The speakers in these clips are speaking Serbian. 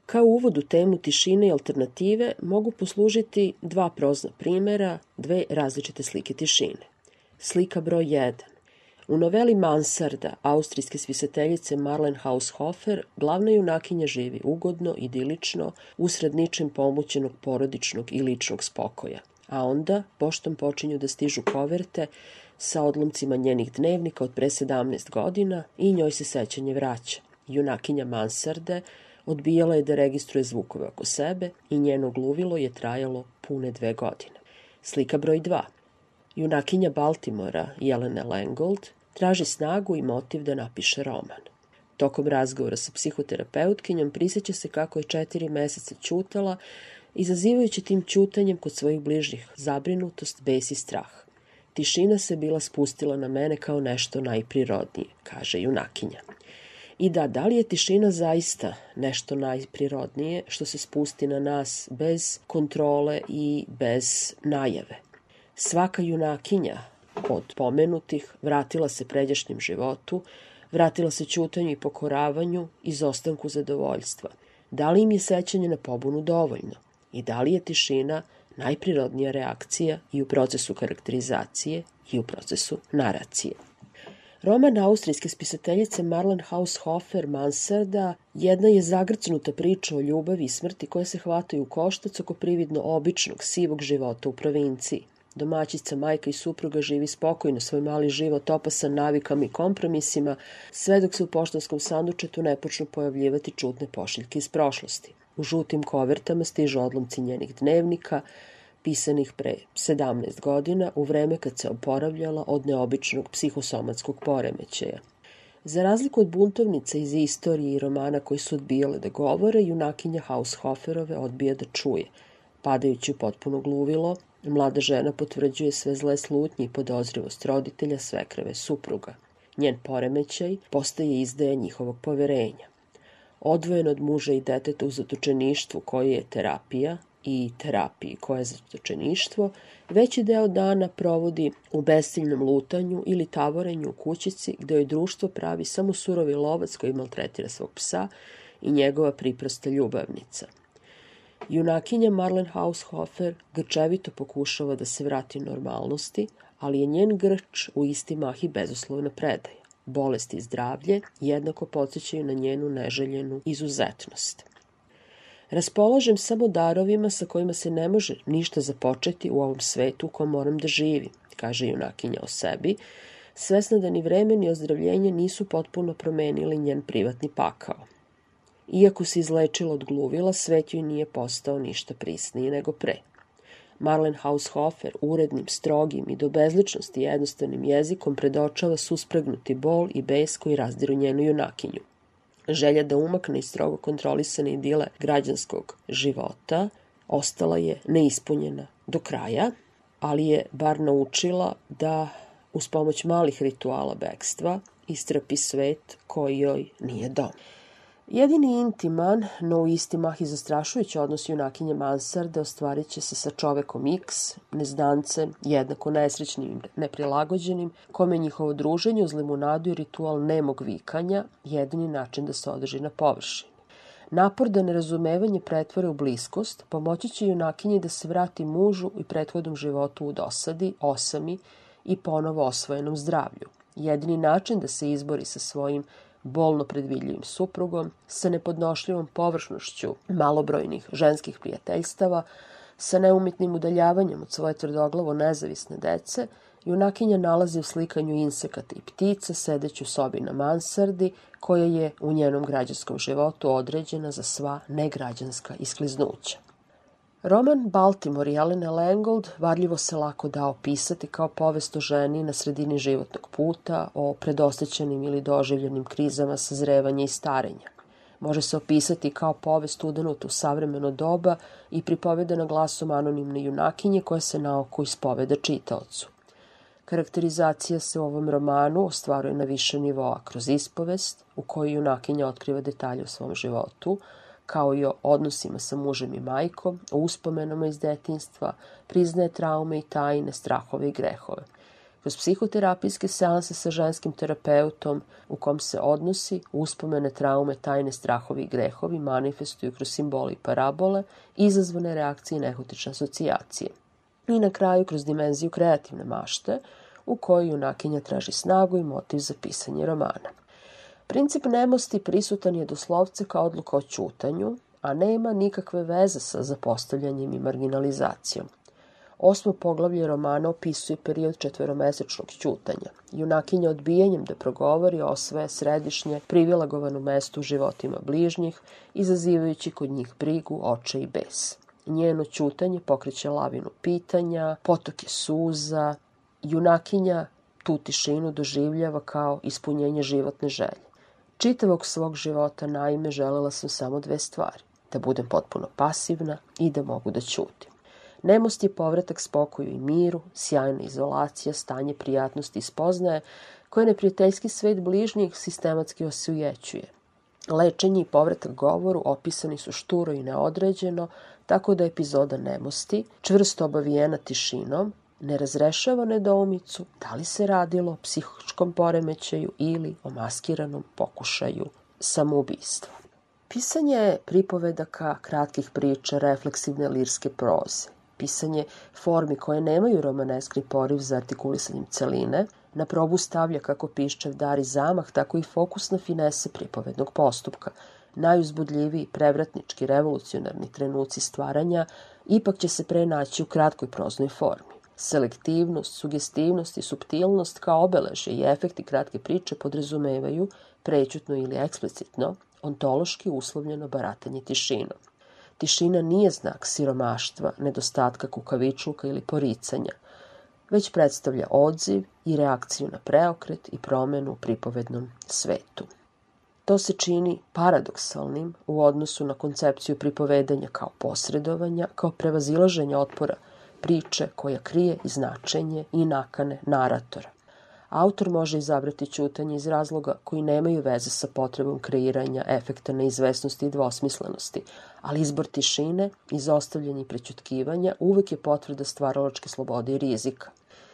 Kao uvod u temu tišine i alternative mogu poslužiti dva prozna primera, dve različite slike tišine. Slika broj 1. U noveli Mansarda austrijske spisateljice Marlene Haushofer glavna junakinja živi ugodno, idilično, usred ničim pomućenog porodičnog i ličnog spokoja. A onda poštom počinju da stižu koverte sa odlomcima njenih dnevnika od pre 17 godina i njoj se sećanje vraća. Junakinja Mansarde odbijala je da registruje zvukove oko sebe i njeno gluvilo je trajalo pune 2 godine. Slika broj 2. Junakinja Baltimora, Jelena Langold, traži snagu i motiv da napiše roman. Tokom razgovora sa psihoterapeutkinjom prisjeća se kako je 4 meseca ćutala, izazivajući tim ćutanjem kod svojih bližnjih zabrinutost, bes i strah. Tišina se bila spustila na mene kao nešto najprirodnije, kaže junakinja. I da li je tišina zaista nešto najprirodnije što se spusti na nas bez kontrole i bez najave? Svaka junakinja od pomenutih vratila se pređašnjem životu, vratila se ćutanju i pokoravanju, izostanku zadovoljstva. Da li im je sećanje na pobunu dovoljno? I da li je tišina najprirodnija reakcija i u procesu karakterizacije i u procesu naracije? Roman austrijske spisateljice Marlene Haushofer Mansarda jedna je zagrcnuta priča o ljubavi i smrti koje se hvataju u koštac oko prividno običnog, sivog života u provinciji. Domaćica, majka i supruga živi spokojno svoj mali život opasan navikama i kompromisima, sve dok se u poštanskom sandučetu ne počnu pojavljivati čudne pošiljke iz prošlosti. U žutim kovertama stižu odlomci njenih dnevnika, pisanih pre 17 godina, u vreme kad se oporavljala od neobičnog psihosomatskog poremećaja. Za razliku od buntovnica iz istorije i romana koji su odbijale da govore, junakinja Haushoferove odbija da čuje. Padajući u potpuno gluvilo, mlada žena potvrđuje sve zle slutnje i podozrivost roditelja, svekrve, supruga. Njen poremećaj postaje izdaja njihovog poverenja. Odvojen od muža i deteta u zatočeništvu koje je terapija i terapiji koje je zatočeništvo, veći deo dana provodi u besciljnom lutanju ili tavorenju u kućici gde joj društvo pravi samo surovi lovac koji maltretira svog psa i njegova priprosta ljubavnica. Junakinja Marlene Haushofer grčevito pokušava da se vrati normalnosti, ali je njen grč u isti mah i bezuslovna predaja. Bolest i zdravlje jednako podsjećaju na njenu neželjenu izuzetnost. Raspolažem samo darovima sa kojima se ne može ništa započeti u ovom svetu u kom moram da živim, kaže junakinja o sebi, svesna da ni vreme ni ozdravljenje nisu potpuno promenili njen privatni pakao. Iako se izlečila od gluvila, svet joj nije postao ništa prisniji nego pre. Marlene Haushofer urednim, strogim i do bezličnosti jednostavnim jezikom predočava suspregnuti bol i bes koji razdiru njenu junakinju. Želja da umakne iz strogo kontrolisane idile građanskog života ostala je neispunjena do kraja, ali je bar naučila da uz pomoć malih rituala bekstva istrpi svet koji joj nije dom. Jedini intiman, no u isti mah i zastrašujući odnos junakinje Mansarde ostvarit će se sa čovekom X, nezdancem, jednako nesrećnim i neprilagođenim, kome njihovo druženje uz limunadu i ritual nemog vikanja jedini način da se održi na površini. Napor da nerazumevanje pretvore u bliskost pomoći će junakinji da se vrati mužu i prethodnom životu u dosadi, osami i ponovo osvojenom zdravlju. Jedini način da se izbori sa svojim bolno predvidljivim suprugom, sa nepodnošljivom površnošću malobrojnih ženskih prijateljstava, sa neumitnim udaljavanjem od svoje tvrdoglavo nezavisne dece, junakinja nalazi u slikanju insekata i ptica sedeći u sobi na mansardi, koja je u njenom građanskom životu određena za sva negrađanska iskliznuća. Roman Baltimore Jelene Langold varljivo se lako da opisati kao povest o ženi na sredini životnog puta, o predosećenim ili doživljenim krizama sazrevanja i starenja. Može se opisati kao povest udanuta u savremeno doba i pripovedana glasom anonimne junakinje koja se na oko ispoveda čitaocu. Karakterizacija se u ovom romanu ostvaruje na više nivoa kroz ispovest, u kojoj junakinja otkriva detalje o svom životu, kao i o odnosima sa mužem i majkom, o uspomenama iz detinjstva, priznaje traume i tajne, strahove i grehove. Kroz psihoterapijske seanse sa ženskim terapeutom u kom se odnosi, uspomene, traume, tajne, strahovi i grehovi manifestuju kroz simbole i parabole, izazvane reakcije i nehotične asocijacije. I na kraju kroz dimenziju kreativne mašte, u kojoj junakinja traži snagu i motiv za pisanje romana. Princip nemosti prisutan je doslovce kao odluka o ćutanju, a nema nikakve veze sa zapostavljanjem i marginalizacijom. 8. poglavlje romana opisuje period 4-mesečnog ćutanja. Junakinja odbijanjem da progovori osvaja središnje privilegovano mesto u životima bližnjih, izazivajući kod njih brigu, očaj i bes. Njeno ćutanje pokreće lavinu pitanja, potoke suza. Junakinja tu tišinu doživljava kao ispunjenje životne želje. Čitavog svog života, naime, želela sam samo 2 stvari. Da budem potpuno pasivna i da mogu da ćutim. Nemost je povratak spokoju i miru, sjajna izolacija, stanje prijatnosti i spoznaje, koje neprijateljski svet bližnjih sistematski osujećuje. Lečenje i povratak govoru opisani su šturo i neodređeno, tako da epizoda nemosti, čvrsto obavijena tišinom, ne razrešava nedoumicu da li se radilo o psihičkom poremećaju ili o maskiranom pokušaju samoubistva. Pisanje pripovedaka, kratkih priča, refleksivne lirske proze, pisanje formi koje nemaju romaneskni poriv za artikulisanjem celine, na probu stavlja kako piščev dar i zamah, tako i fokusne finese pripovednog postupka. Najuzbudljiviji, prevratnički, revolucionarni trenuci stvaranja ipak će se pre naći u kratkoj proznoj formi. Selektivnost, sugestivnost i suptilnost kao obeležje i efekti kratke priče podrazumevaju, prećutno ili eksplicitno, ontološki uslovljeno baratanje tišinom. Tišina nije znak siromaštva, nedostatka kukavičluka ili poricanja, već predstavlja odziv i reakciju na preokret i promenu u pripovednom svetu. To se čini paradoksalnim u odnosu na koncepciju pripovedanja kao posredovanja, kao prevazilaženja otpora priče koja krije i značenje i nakane naratora. Autor može izabrati ćutanje iz razloga koji nemaju veze sa potrebom kreiranja efekta neizvesnosti i dvosmislenosti, ali izbor tišine, izostavljanje i prećutkivanja uvek je potvrda stvaralačke slobode i rizika.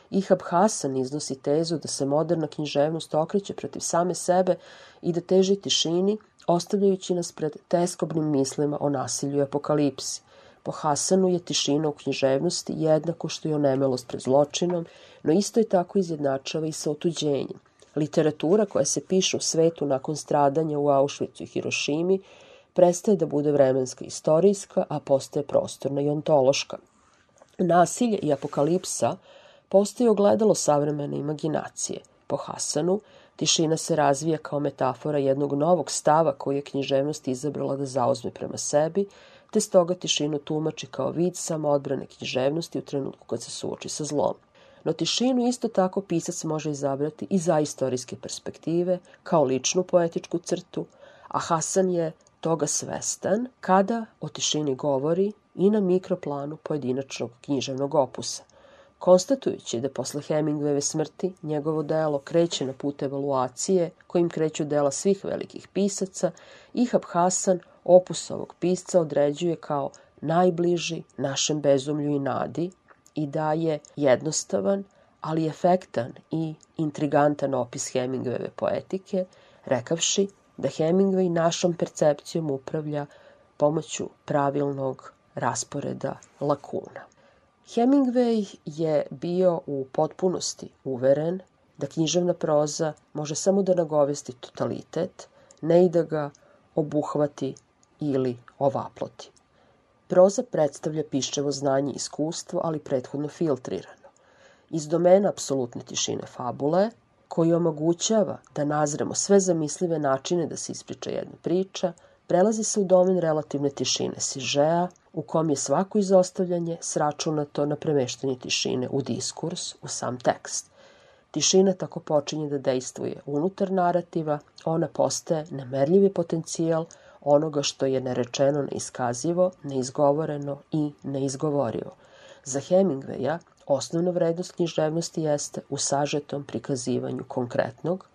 Ihab Hasan iznosi tezu da se moderna književnost okreće protiv same sebe i da teži tišini, ostavljajući nas pred teskobnim mislima o nasilju i apokalipsi. Po Hasanu je tišina u književnosti jednako što i onemelost pred zločinom, no isto je tako izjednačava i sa otuđenjem. Literatura koja se piše u svetu nakon stradanja u Auschwitzu i Hirošimi prestaje da bude vremenska i istorijska, a postaje prostorna i ontološka. Nasilje i apokalipsa postaje ogledalo savremene imaginacije. Po Hasanu, tišina se razvija kao metafora jednog novog stava koji je književnost izabrala da zauzme prema sebi, te stoga tišinu tumači kao vid samoodbrane književnosti u trenutku kad se suoči sa zlom. No tišinu isto tako pisac može izabrati i za istorijske perspektive, kao ličnu poetičku crtu, a Hasan je toga svestan kada o tišini govori i na mikroplanu pojedinačnog književnog opusa. Konstatujući da posle Hemingwayove smrti njegovo delo kreće na put evaluacije kojim kreću dela svih velikih pisaca, Ihab Hasan opus ovog pisca određuje kao najbliži našem bezumlju i nadi i daje jednostavan, ali efektan i intrigantan opis Hemingwayove poetike, rekavši da Hemingway našom percepcijom upravlja pomoću pravilnog rasporeda lakuna. Hemingway je bio u potpunosti uveren da književna proza može samo da nagovesti totalitet, ne i da ga obuhvati ili ovaploti. Proza predstavlja piščevo znanje i iskustvo, ali prethodno filtrirano. Iz domena apsolutne tišine fabule, koji omogućava da nazremo sve zamislive načine da se ispriča jedna priča, prelazi se u domen relativne tišine sižea, u kom je svako izostavljanje sračunato na premeštanje tišine u diskurs, u sam tekst. Tišina tako počinje da dejstvuje unutar narativa, ona postaje nemerljivi potencijal onoga što je nerečeno, neiskazivo, neizgovoreno i neizgovorivo. Za Hemingwaya osnovna vrednost književnosti jeste u sažetom prikazivanju konkretnog,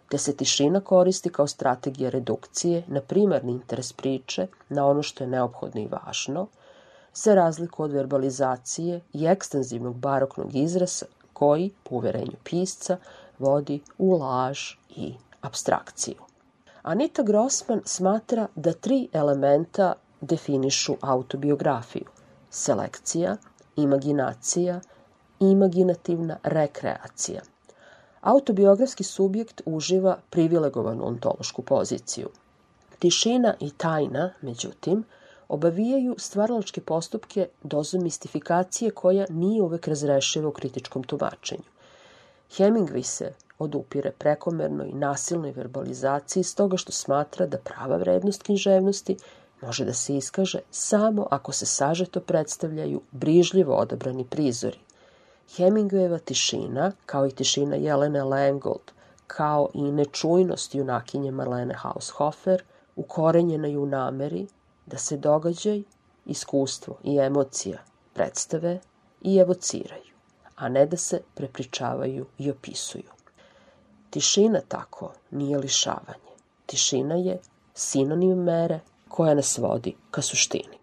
te se tišina koristi kao strategija redukcije na primarni interes priče, na ono što je neophodno i važno, za razliku od verbalizacije i ekstenzivnog baroknog izraza koji, po uverenju pisca, vodi u laž i apstrakciju. Anita Grossman smatra da 3 elementa definišu autobiografiju: selekcija, imaginacija i imaginativna rekreacija. Autobiografski subjekt uživa privilegovanu ontološku poziciju. Tišina i tajna, međutim, obavijaju stvaralačke postupke dozom mistifikacije koja nije uvek razrešiva u kritičkom tumačenju. Hemingway se odupire prekomernoj i nasilnoj verbalizaciji stoga što smatra da prava vrednost književnosti može da se iskaže samo ako se sažeto predstavljaju brižljivo odabrani prizori. Hemingwayeva tišina, kao i tišina Jelene Langgold, kao i nečujnost junakinje Marlene Haushofer, ukorenjena je u nameri da se događaj, iskustvo i emocija predstave i evociraju, a ne da se prepričavaju i opisuju. Tišina tako nije lišavanje. Tišina je sinonim mere koja nas vodi ka suštini.